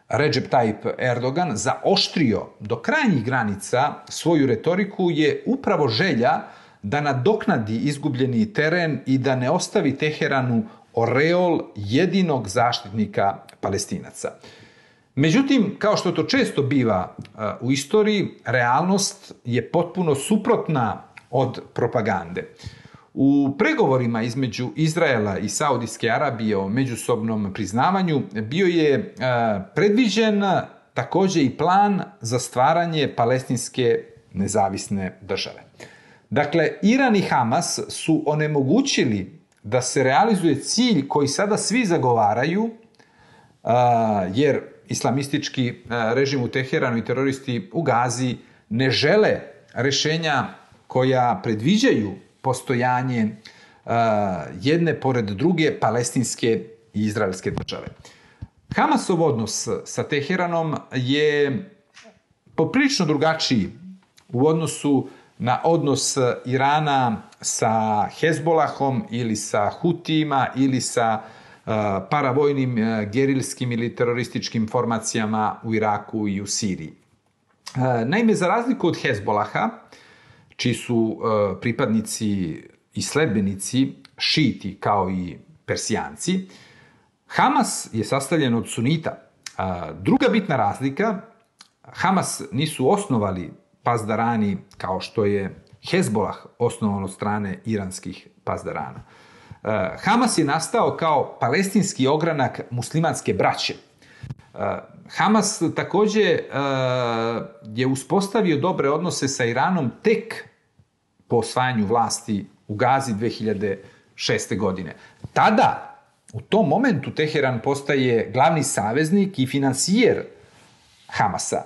Recep Tayyip Erdogan, zaoštrio do krajnjih granica svoju retoriku je upravo želja da nadoknadi izgubljeni teren i da ne ostavi Teheranu oreol jedinog zaštitnika Palestinaca. Međutim, kao što to često biva u istoriji, realnost je potpuno suprotna od propagande. U pregovorima između Izraela i Saudijske Arabije o međusobnom priznavanju bio je predviđen također i plan za stvaranje palestinske nezavisne države. Dakle, Iran i Hamas su onemogućili da se realizuje cilj koji sada svi zagovaraju, jer islamistički režim u Teheranu i teroristi u Gazi ne žele rješenja koja predviđaju postojanje jedne pored druge palestinske i izraelske države. Hamasov odnos sa Teheranom je poprilično drugačiji u odnosu na odnos Irana sa Hezbolahom ili sa Hutijima ili sa paravojnim gerilskim ili terorističkim formacijama u Iraku i u Siriji. Naime, za razliku od Hezbolaha, čiji su pripadnici i sledbenici šiti kao i Persijanci, Hamas je sastavljen od sunita. Druga bitna razlika, Hamas nisu osnovali pazdarani kao što je Hezbolah osnovan od strane iranskih pazdarana. Hamas je nastao kao palestinski ogranak muslimanske braće. Hamas također je uspostavio dobre odnose sa Iranom tek po osvajanju vlasti u Gazi 2006. godine. Tada, u tom momentu, Teheran postaje glavni saveznik i finansijer Hamasa.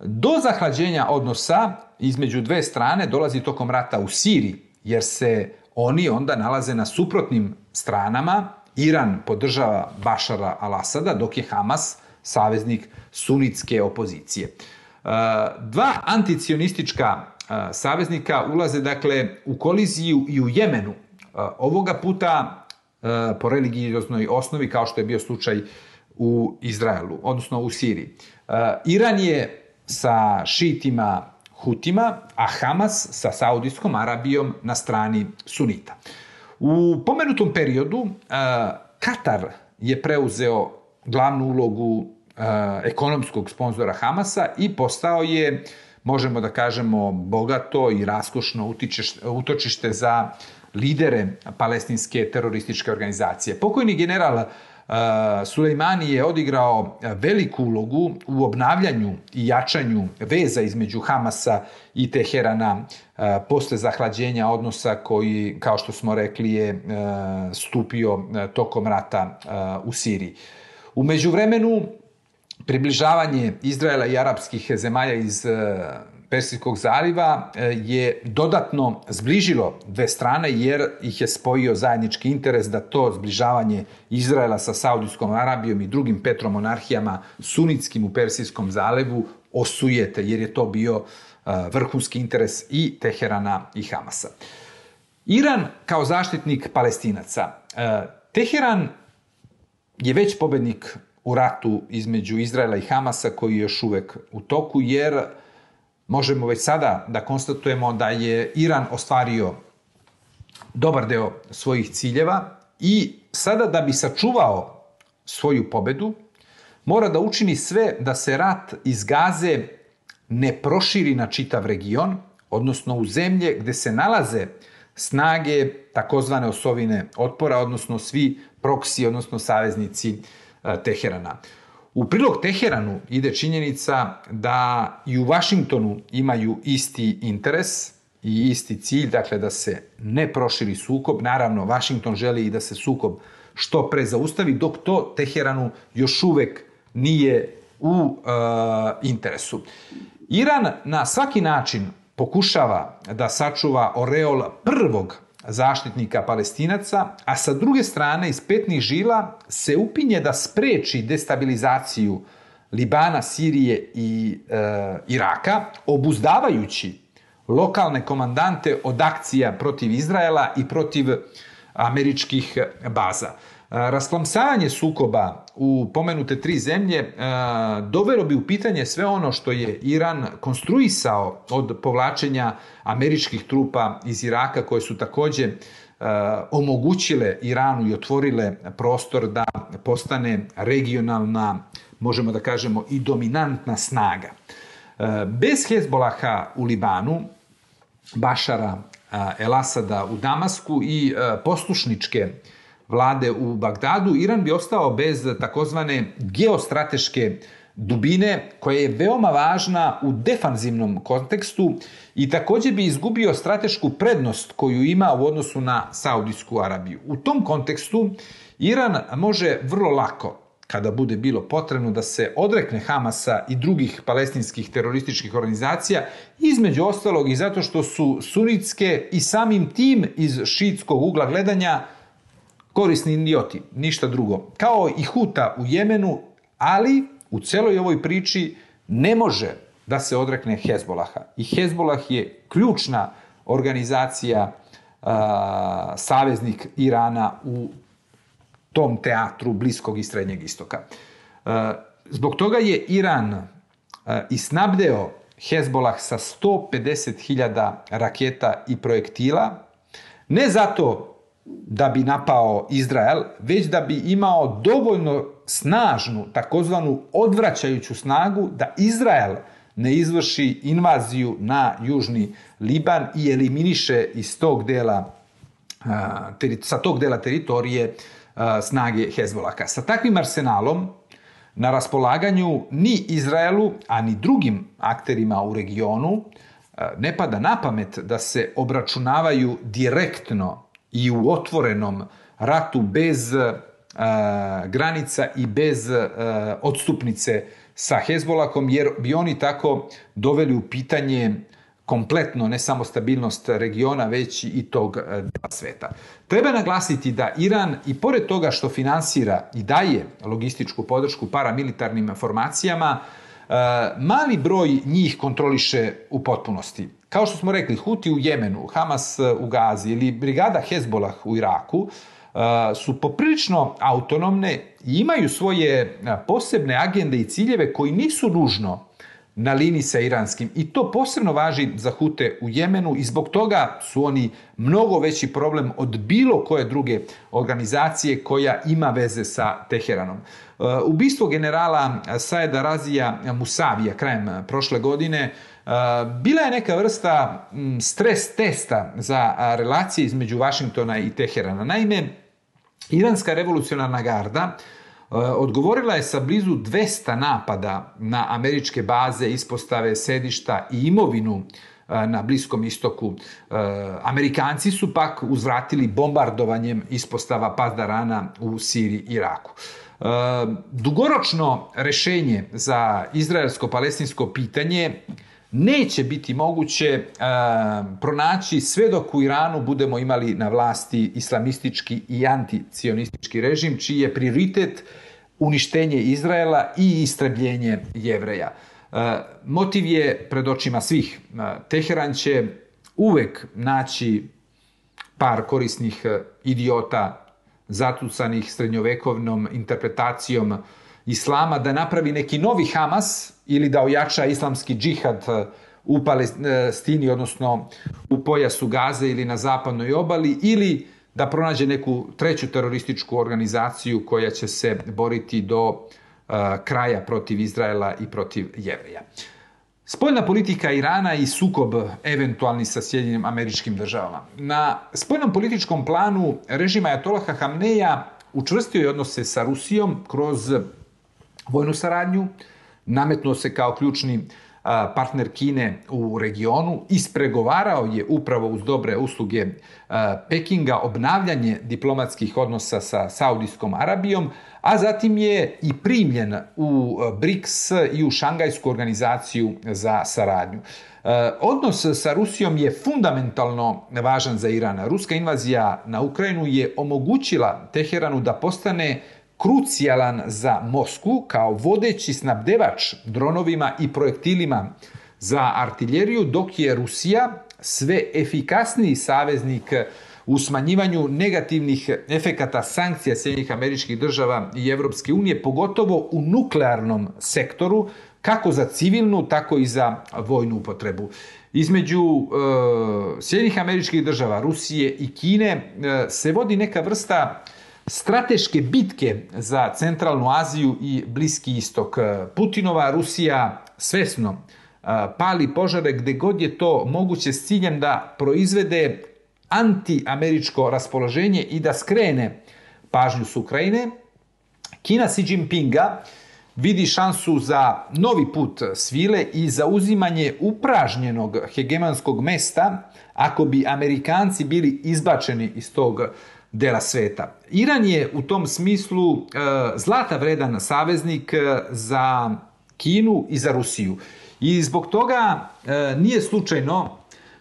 Do zahlađenja odnosa između dve strane dolazi tokom rata u Siriji, jer se oni onda nalaze na suprotnim stranama. Iran podržava Bašara al-Asada, dok je Hamas saveznik sunitske opozicije. Dva anticionistička saveznika ulaze dakle u koliziju i u Jemenu. Ovoga puta po religioznoj osnovi, kao što je bio slučaj u Izraelu, odnosno u Siriji. Iran je sa šitima Hutima, a Hamas sa Saudijskom Arabijom na strani sunita. U pomenutom periodu Katar je preuzeo glavnu ulogu ekonomskog sponzora Hamasa i postao je, možemo da kažemo, bogato i raskošno utočište za lidere palestinske terorističke organizacije. Pokojni general Sulejmani je odigrao veliku ulogu u obnavljanju i jačanju veza između Hamasa i Teherana posle zahlađenja odnosa koji, kao što smo rekli, je stupio tokom rata u Siriji. U međuvremenu, približavanje Izraela i arapskih zemalja iz Persijskog zaliva je dodatno zbližilo dve strane, jer ih je spojio zajednički interes da to zbližavanje Izraela sa Saudijskom Arabijom i drugim petromonarhijama sunitskim u Persijskom zalivu osujete, jer je to bio vrhunski interes i Teherana i Hamasa. Iran kao zaštitnik Palestinaca. Teheran je već pobednik u ratu između Izraela i Hamasa, koji je još uvek u toku, jer možemo već sada da konstatujemo da je Iran ostvario dobar deo svojih ciljeva i sada, da bi sačuvao svoju pobedu, mora da učini sve da se rat iz Gaze ne proširi na čitav region, odnosno u zemlje gde se nalaze snage takozvane osovine otpora, odnosno svi proksi, odnosno saveznici Teherana. U prilog Teheranu ide činjenica da i u Vašingtonu imaju isti interes i isti cilj, dakle da se ne proširi sukob. Naravno, Vašington želi i da se sukob što pre zaustavi, dok to Teheranu još uvek nije u interesu. Iran na svaki način pokušava da sačuva oreol prvog zaštitnika Palestinaca, a sa druge strane iz petnih žila se upinje da spreči destabilizaciju Libana, Sirije i Iraka, obuzdavajući lokalne komandante od akcija protiv Izraela i protiv američkih baza. Rasklamsavanje sukoba u pomenute tri zemlje dovelo bi u pitanje sve ono što je Iran konstruisao od povlačenja američkih trupa iz Iraka, koje su također omogućile Iranu i otvorile prostor da postane regionalna, možemo da kažemo, i dominantna snaga. Bez Hezbolaha u Libanu, Bašara el-Asada u Damasku i poslušničke vlade u Bagdadu, Iran bi ostao bez takozvane geostrateške dubine, koja je veoma važna u defanzivnom kontekstu i također bi izgubio stratešku prednost koju ima u odnosu na Saudijsku Arabiju. U tom kontekstu Iran može vrlo lako, kada bude bilo potrebno, da se odrekne Hamasa i drugih palestinskih terorističkih organizacija, između ostalog i zato što su sunitske i samim tim iz šiitskog ugla gledanja korisni idioti, ništa drugo. Kao i Huta u Jemenu, ali u celoj ovoj priči ne može da se odrekne Hezbolaha. I Hezbolah je ključna organizacija, saveznik Irana u tom teatru Bliskog i Srednjeg istoka. Zbog toga je Iran i snabdeo Hezbolah sa 150.000 raketa i projektila, ne zato da bi napao Izrael, već da bi imao dovoljno snažnu, takozvanu odvraćajuću snagu da Izrael ne izvrši invaziju na južni Liban i eliminiše iz tog dela, sa tog dela teritorije snage Hezbolaha. Sa takvim arsenalom na raspolaganju ni Izraelu, a ni drugim akterima u regionu ne pada na pamet da se obračunavaju direktno i u otvorenom ratu bez granica i bez odstupnice sa Hezbolahom, jer bi oni tako doveli u pitanje kompletno ne samo stabilnost regiona, već i tog dela sveta. Treba naglasiti da Iran, i pored toga što finansira i daje logističku podršku paramilitarnim formacijama, mali broj njih kontroliše u potpunosti. Kao što smo rekli, Huti u Jemenu, Hamas u Gazi ili brigada Hezbolah u Iraku su poprilično autonomne i imaju svoje posebne agende i ciljeve koji nisu nužno na liniji sa iranskim. I to posebno važi za Hute u Jemenu i zbog toga su oni mnogo veći problem od bilo koje druge organizacije koja ima veze sa Teheranom. Ubistvo generala Saeda Razija Musavija krajem prošle godine bila je neka vrsta stres testa za relacije između Vašingtona i Teherana. Naime, Iranska revolucionarna garda odgovorila je sa blizu 200 napada na američke baze, ispostave, sedišta i imovinu na Bliskom istoku. Amerikanci su pak uzvratili bombardovanjem ispostava Pasdarana u Siriji i Iraku. Dugoročno rešenje za izraelsko-palestinsko pitanje neće biti moguće pronaći sve dok u Iranu budemo imali na vlasti islamistički i anticionistički režim, čiji je prioritet uništenje Izraela i istrebljenje Jevreja. Motiv je pred očima svih. Teheran će uvek naći par korisnih idiota zatucanih srednjovekovnom interpretacijom islama da napravi neki novi Hamas ili da ojača islamski džihad u Palestini, odnosno u pojasu Gaze ili na zapadnoj obali, ili da pronađe neku treću terorističku organizaciju koja će se boriti do kraja protiv Izraela i protiv Jevreja. Spoljna politika Irana i sukob eventualni sa Sjedinjenim Američkim Državama. Na spoljnom političkom planu režim Ajatolaha Hamneja učvrstio je odnose sa Rusijom kroz vojnu saradnju, nametnuo se kao ključni partner Kine u regionu, ispregovarao je upravo uz dobre usluge Pekinga obnavljanje diplomatskih odnosa sa Saudijskom Arabijom, a zatim je i primljen u BRICS i u Šangajsku organizaciju za saradnju. Odnos sa Rusijom je fundamentalno važan za Iran. Ruska invazija na Ukrajinu je omogućila Teheranu da postane krucijalan za Moskvu kao vodeći snabdevač dronovima i projektilima za artiljeriju, dok je Rusija sve efikasniji saveznik u smanjivanju negativnih efekata sankcija Sjedinjenih Američkih Država i Evropske unije, pogotovo u nuklearnom sektoru, kako za civilnu, tako i za vojnu upotrebu. Između Sjedinjenih Američkih Država, Rusije i Kine se vodi neka vrsta strateške bitke za Centralnu Aziju i Bliski istok. Putinova Rusija svesno pali požare gde god je to moguće s ciljem da proizvede anti-američko raspoloženje i da skrene pažnju s Ukrajine. Kina Xi Jinpinga vidi šansu za novi put svile i za uzimanje upražnjenog hegemonskog mesta ako bi Amerikanci bili izbačeni iz tog dela sveta. Iran je u tom smislu zlata vredan saveznik za Kinu i za Rusiju. I zbog toga nije slučajno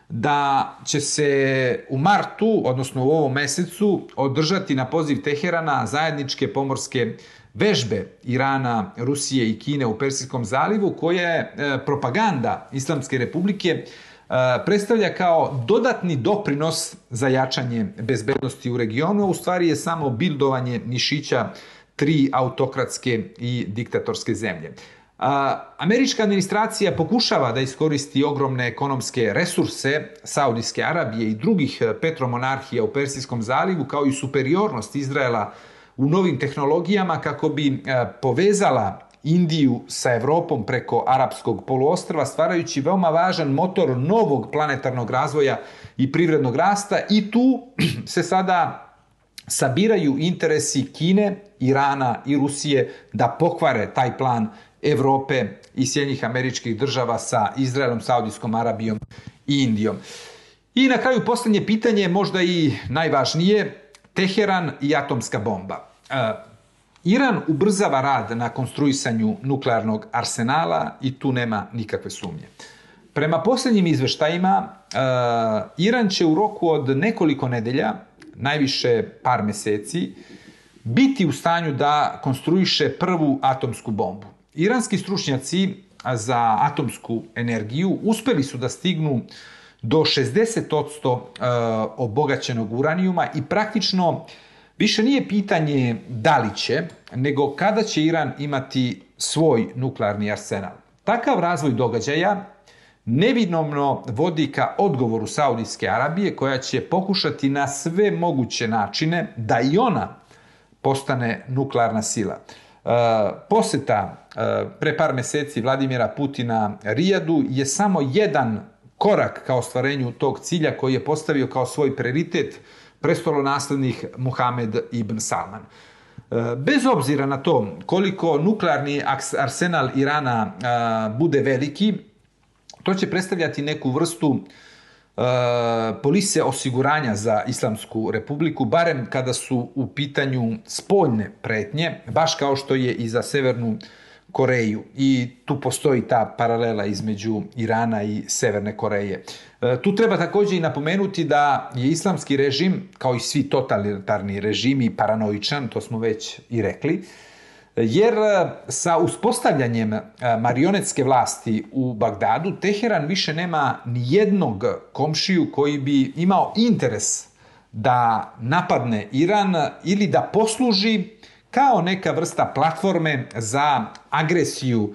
da će se u martu, odnosno u ovom mesecu, održati na poziv Teherana zajedničke pomorske vežbe Irana, Rusije i Kine u Persijskom zalivu, koje propaganda Islamske republike predstavlja kao dodatni doprinos za jačanje bezbednosti u regionu, a u stvari je samo bildovanje mišića tri autokratske i diktatorske zemlje. Američka administracija pokušava da iskoristi ogromne ekonomske resurse Saudijske Arabije i drugih petromonarhija u Persijskom zalivu, kao i superiornost Izraela u novim tehnologijama, kako bi povezala Indiju sa Evropom preko Arapskog poluostrva, stvarajući veoma važan motor novog planetarnog razvoja i privrednog rasta. I tu se sada sabiraju interesi Kine, Irana i Rusije da pokvare taj plan Evrope i Sjedinjenih Američkih Država sa Izraelom, Saudijskom Arabijom i Indijom. I na kraju posljednje pitanje, možda i najvažnije, Teheran i atomska bomba. Iran ubrzava rad na konstruisanju nuklearnog arsenala i tu nema nikakve sumnje. Prema posljednjim izveštajima, Iran će u roku od nekoliko nedelja, najviše par meseci, biti u stanju da konstruiše prvu atomsku bombu. Iranski stručnjaci za atomsku energiju uspeli su da stignu do 60% obogaćenog uranijuma i praktično više nije pitanje da li će, nego kada će Iran imati svoj nuklearni arsenal. Takav razvoj događaja nevinomno vodi ka odgovoru Saudijske Arabije, koja će pokušati na sve moguće načine da i ona postane nuklearna sila. Poseta pre par meseci Vladimira Putina Rijadu je samo jedan korak ka ostvarenju tog cilja koji je postavio kao svoj prioritet prestolonaslednik Muhamed ibn Salman. Bez obzira na to koliko nuklearni arsenal Irana bude veliki, to će predstavljati neku vrstu polise osiguranja za Islamsku republiku, barem kada su u pitanju spoljne pretnje, baš kao što je i za Severnu Koreju. I tu postoji ta paralela između Irana i Severne Koreje. Tu treba također i napomenuti da je islamski režim, kao i svi totalitarni režimi, paranoičan, to smo već i rekli, jer sa uspostavljanjem marionetske vlasti u Bagdadu, Teheran više nema ni jednog komšiju koji bi imao interes da napadne Iran ili da posluži kao neka vrsta platforme za agresiju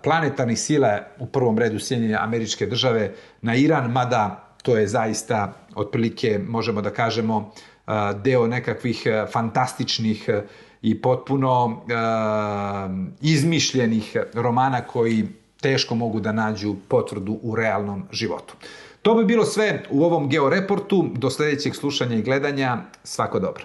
planetarnih sila, u prvom redu Sjedinjene Američke Države, na Iran, mada to je zaista otprilike, možemo da kažemo, deo nekakvih fantastičnih i potpuno izmišljenih romana koji teško mogu da nađu potvrdu u realnom životu. To bi bilo sve u ovom Georeportu. Do sljedećeg slušanja i gledanja. Svako dobro.